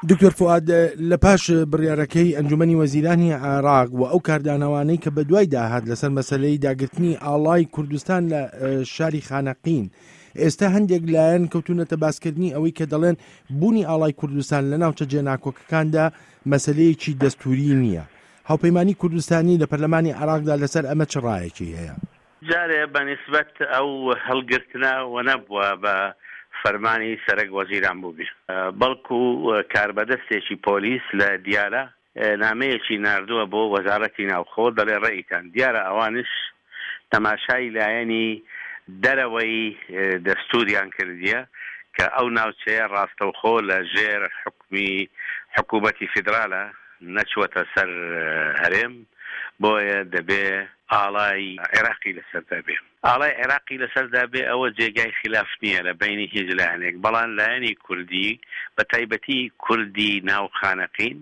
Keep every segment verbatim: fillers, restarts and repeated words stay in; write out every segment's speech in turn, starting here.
دکتۆر فوئاد، لە پاش بڕیارەکەی ئەنجومەنی وەزیرانی عێراق و ئەو کاردانەوانەی کە بەدوای داهات لەسەر مەسەلەی داگرتنی ئاڵای کوردستان لە شاری خانەقین، ئێستا هەندێک لایەن کەوتونەتە باسکردنی ئەوەی کە دەڵێن بوونی ئاڵای کوردستان لە ناوچە جێناکۆکەکاندا مەسلەیەکی دەستوری نییە. هاوپەیمانی کوردستانی لە پەرلەمانی عێراقدا لەسەر ئەمە چ ڕایەکی هەیە؟ جارێ بە نیسبەت ئەو هەڵگرتنە وە نەبووە بە فەرمانی سەرەک وەزیران بووبێ، بەڵکو کاربەدەستێکی پۆلیس لە دیالە نامەیەکی ناردووە بۆ وەزارەتی ناوخۆ، دەڵێ ڕێیتان دیارە ئەوانش تەماشای لایەنی دەرەوەی دەستوریان کردیە کە ئەو ناوچەیە ڕاستەوخۆ لە ژێر حوکمی حکوومەتی فیدرالە، نەچووەتە سەر هەرێم، بۆیە دەبێ ئاڵای عێراقی لەسەردا بێ. ئاڵای عێراقی لەسەردا بێ ئەوە جێگای خیلاف نییە لە بەینی هیچ لایەنێک، بەڵام لایەنی کوردی بە تایبەتی کوردی ناو خانەقین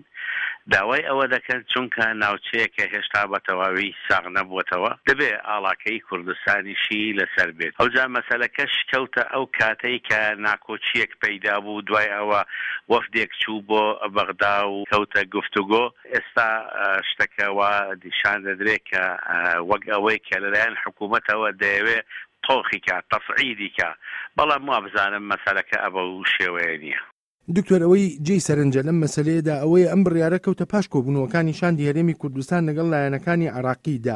داوای ئەوە دەکەن چونکە ناوچەیەکە هێشتا بە تەواوی ساغ نەبووەتەوە دەبێ ئاڵاکەی کوردستانیشی لەسەر بێت. ئەوجا مەسەلەکەش کەوتە ئەو کاتەی کە ناکۆکییەک پەیدا بوو، دوای ئەوە وەفدێک چوو بۆ بەغدا و کەوتە گفتوگۆ. ئێستا شتەکە وا نیشان دەدرێ کە وەک ئەوەی کە لەلایەن حکوومەتەوە دەیەوێ تۆخی کا، تەسعیدی کا، بەڵام وابزانم مەسەلەکە ئەبەو شێوەیە نییە. دکتۆر، ئەوەی جێی سەرنجە لەم مەسەلەیەدا ئەوەیە ئەم بڕیارە کەوتە پاش کۆبوونەوەکانی شاندی هەرێمی کوردستان لەگەڵ لایەنەکانی عێراقیدا.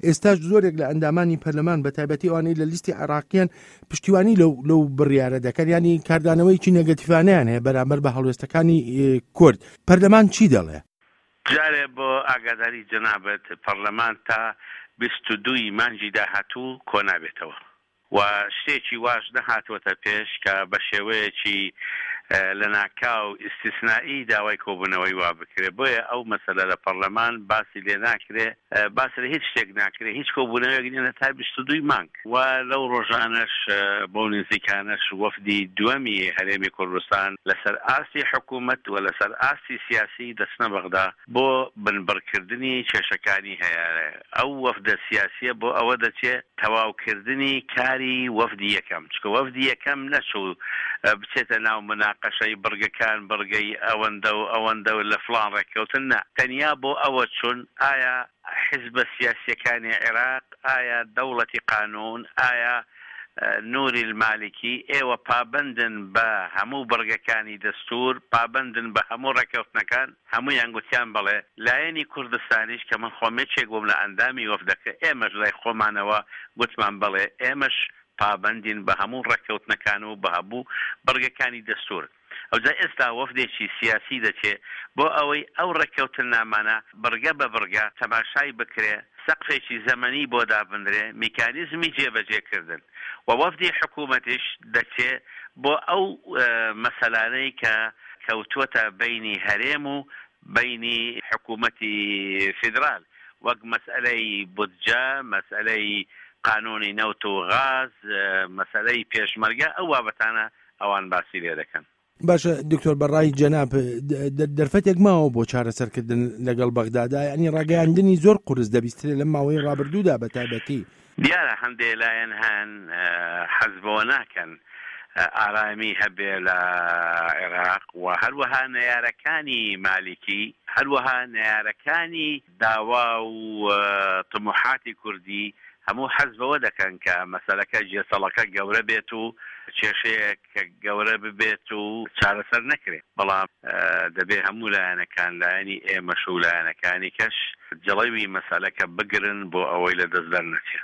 ئێستاش زۆرێک لە ئەندامانی پەرلەمان بە تایبەتی ئەوانەی لە لیستی عێراقیان پشتیوانی لەو لەو بڕیارە دەکەن، ینی کاردانەوەیەکی نێگەتیڤانەیان هەیە بەرامبەر بە هەڵوێستەکانی کورد. پەرلەمان چی دەڵێ؟ جارێ بۆ ئاگاداری جەنابت، پەرلەمان تا بیست و دوو ی مانگی داهاتوو کۆنابێتەوە و شتێکی واش نەهاتووەتە پێش کە بە شێوەیەکی لەناکاو ئیستیسنائی داوای کۆبوونەوەی وا بکرێ، بۆیە ئەو مەسەلە لە پەرلەمان باسی لێ ناکرێ، باس لە هیچ شتێک ناکرێ، هیچ کۆبوونەوەیەک نییە تا بیست و دوو ی مانگ. و لەو ڕۆژانەش بەو نزیکانەش وەفدی دووەمی هەرێمی کوردستان لەسەر ئاستی حکوومەت و لەسەر ئاستی سیاسی دەچنە بەغدا بۆ بنبڕکردنی کێشەکانی هەیە. ئەو وەفدە سیاسییە بۆ ئەوە دەچێ تەواوکردنی کاری وەفدی یەکەم، چونکە وەفدی یەکەم نەچوو بچێتە ناو مناقەشەی بڕگەکان، بڕگەی ئەوەندە و ئەوەندە و لە فڵان ڕێککەوتن، نا، تەنیا بۆ ئەوە چوون ئایا حیزبە سیاسییەکانی عێراق، ئایا دەوڵەتی قانوون، ئایا نوری المالکی، ئێوە پابەندن بە هەموو بڕگەکانی دەستوور، پابەندن بە هەموو ڕێککەوتنەکان؟ هەموویان گوتیان بەڵێ. لایەنی کوردستانیش کە من خۆم یەکێک بووم لە ئەندامی وەفدەکە، ئێمەش لای خۆمانەوە گوتمان بەڵێ، ئێمەش پابەندین بە هەموو ڕێککەوتنەکان و بە هەموو بڕگەکانی دەستوور. ئەوجا ئێستا وەفدێکی سیاسی دەچێ بۆ ئەوەی ئەو ڕێککەوتننامانە بڕگە بە بڕگە تەماشای بکرێ، سەقفێکی زەمەنی بۆ دابنرێ، میکانیزمی جێبەجێکردن و وەفدی حکوومەتیش دەچێ بۆ ئەو مەسەلانەی کە کەوتووەتە بەینی هەرێم و بەینی حکوومەتی فیدرال وەک مەسئەلەی بودجە، مەسئەلەی قانوونی نەوت و غاز، مەسئەلەی پێشمەرگە، ئەو بابەتانە ئەوان باسی لێ دەکەن. باشە دکتۆر، بەڕای جەناب دەرفەتێک ماوە بۆ چارەسەرکردن لەگەڵ بەغدادا؟ یعنی ڕاگەیاندنی زۆر قورس دەبیسترێ لەم ماوەی ڕابردوودا بە تایبەتی. دیارە هەندێ لایەن هەن حەز بەوە ناکەن ئارامی هەبێ لە عێراق و هەروەها نەیارەکانی مالیکی، هەروەها نەیارەکانی داوا و تموحاتی کوردی هەموو حەز بەوە دەکەن کە مەسەلەکە گێچەڵەکە گەورە بێت و کێشەیەک گەورە ببێت و چارەسەر نەکرێت، بەڵام دەبێ هەموو لایەنەکان، لایەنی ئێمەش و لایەنەکانی کەش جڵەوی مەسەلەکە بگرن بۆ ئەوەی لە دەست دەرنەچێ.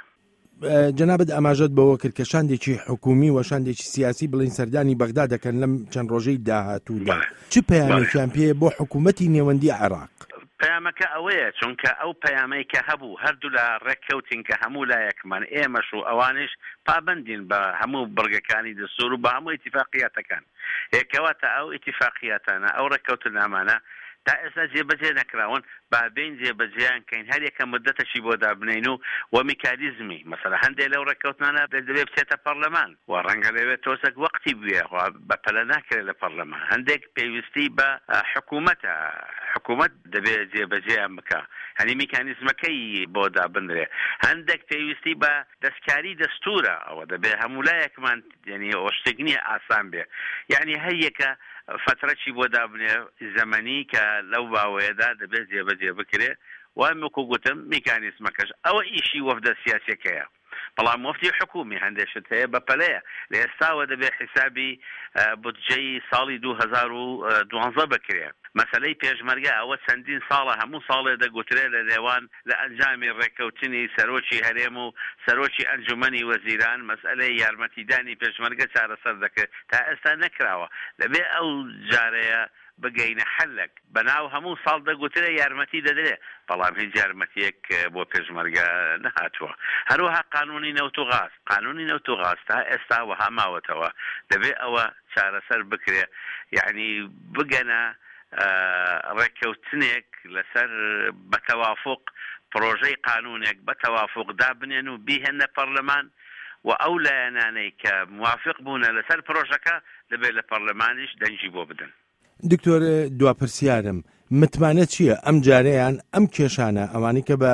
جەنابت ئاماژەت بەوە کرد کە شاندێکی حکوومی و شاندێکی سیاسی بڵین سەردانی بەغدا دەکەن لەم چەند ڕۆژەی داهاتوودا، چ پەیامێکیان پێیە بۆ حکوومەتی نێوەندی عێراق؟ پەیامەکە ئەوەیە، چونکە ئەو پەیامەی کە هەبوو هەردوولا ڕێککەوتین کە هەموو لایەکمان، ئێمەش و ئەوانیش، پابەندین بە هەموو بڕگەکانی دەستوور و بە هەموو ئیتیفاقیاتەکان. ئێ کەواتە ئەو ئیتیفاقیاتانە، ئەو ڕێککەوتننامانە تا ئێستا جێبەجێ نەکراون، با بێین جێبەجێیان کەین، هەر یەکە موددەتەکی بۆ دابنێین و و میکانیزمی، مەسەلەن هەندێ لەو ڕێککەوتنانە دەبێ بچێتە پەڕلەمان و ڕەنگە لەوێ تۆزەک وەقتی بوێ، خۆ بە پەلە ناکرێ لە پەڕلەمان، هەندێک پێویستی بە حکوومەتە، حکوومەت دەبێ جێبەجێیان بکا، یانی میکانیزمەکەی بۆ دابنرێ، هەندێک پێویستی بە دەستکاری دەستوورە، ئەوە دەبێ هەموو لایەکمان، یانی ئەوە شتێک نییە ئاسان بێ، یانی هەر یەکە فەترەکی بۆ دابنێ زەمەنی کە لەو باوەیەدا دەبێت جێبەجێ بکرێ و وەکو گوتم میکانیزمەکەش ئەوە ئیشی وەفدە سیاسیەکەیە. بەڵام وەفدی حکومی هەندێک شت هەیە بە پەلەیە، لە ئێستاوە دەبێ حیسابی بودجەی ساڵی دوو هەزار و دوازدە بکرێ. مەسەلەی پێشمەرگە ئەوە چەندین ساڵە هەموو ساڵێ دەگوترێ لە نێوان لە ئەنجامی ڕێککەوتنی سەرۆکی هەرێم و سەرۆکی ئەنجومەنی وەزیران مەسئەلەی یارمەتیدانی پێشمەرگە چارەسەر دەکرێت، تا ئێستا نەکراوە. دەبێ ئەو جارەیە بگەینە حەلێک. بەناو هەموو ساڵ دەگوترێ یارمەتی دەدرێ، بەڵام هیچ یارمەتیەک بۆ پێشمەرگە نەهاتووە. هەروەها قانونی نەوت و غاز، قانونی نەوت و غاز تا ئێستا وەها ماوەتەوە، دەبێ ئەوە چارەسەر بکرێ، یعنی بگەنە ڕێککەوتنێک لەسەر بە تەوافق پرۆژەی قانونێک بە تەوافق دابنێن و بیهێنە پەرلەمان و ئەو لایەنانەی کە موافق بوونە لەسەر پرۆژەکە دەبێت لە پەرلەمانیش دەنگی بۆ بدەن. دکتۆر دوا پرسیارم، متمانە چییە ئەم جارەیان ئەم کێشانە ئەوانەی کە بە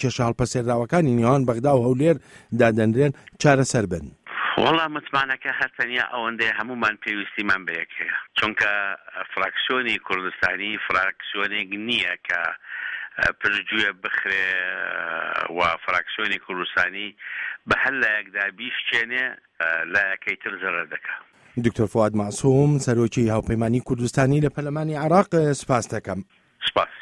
کێشە هەڵپەسێراوەکانی نێوان بەغدا و هەولێر دادەنرێن چارەسەر بن؟ وەڵا متمانەکە هەر تەنیا ئەوەندەیە هەمومان پێویستیمان بە یەک هەیە، چونکە فراکسیۆنی کوردستانی فراکسیۆنێک نییە کە پشتگوێ بخرێ و فراکسیۆنی کوردستانی بە هەر لایەکدا بیشکێنێ لایەکەی تر زەرەر دەکا. دکتۆر فواد مەعسوم، سەرۆکی هاوپەیمانی کوردستانی لە پەرلەمانی عێراق، سپاس دەکەم. سپاس.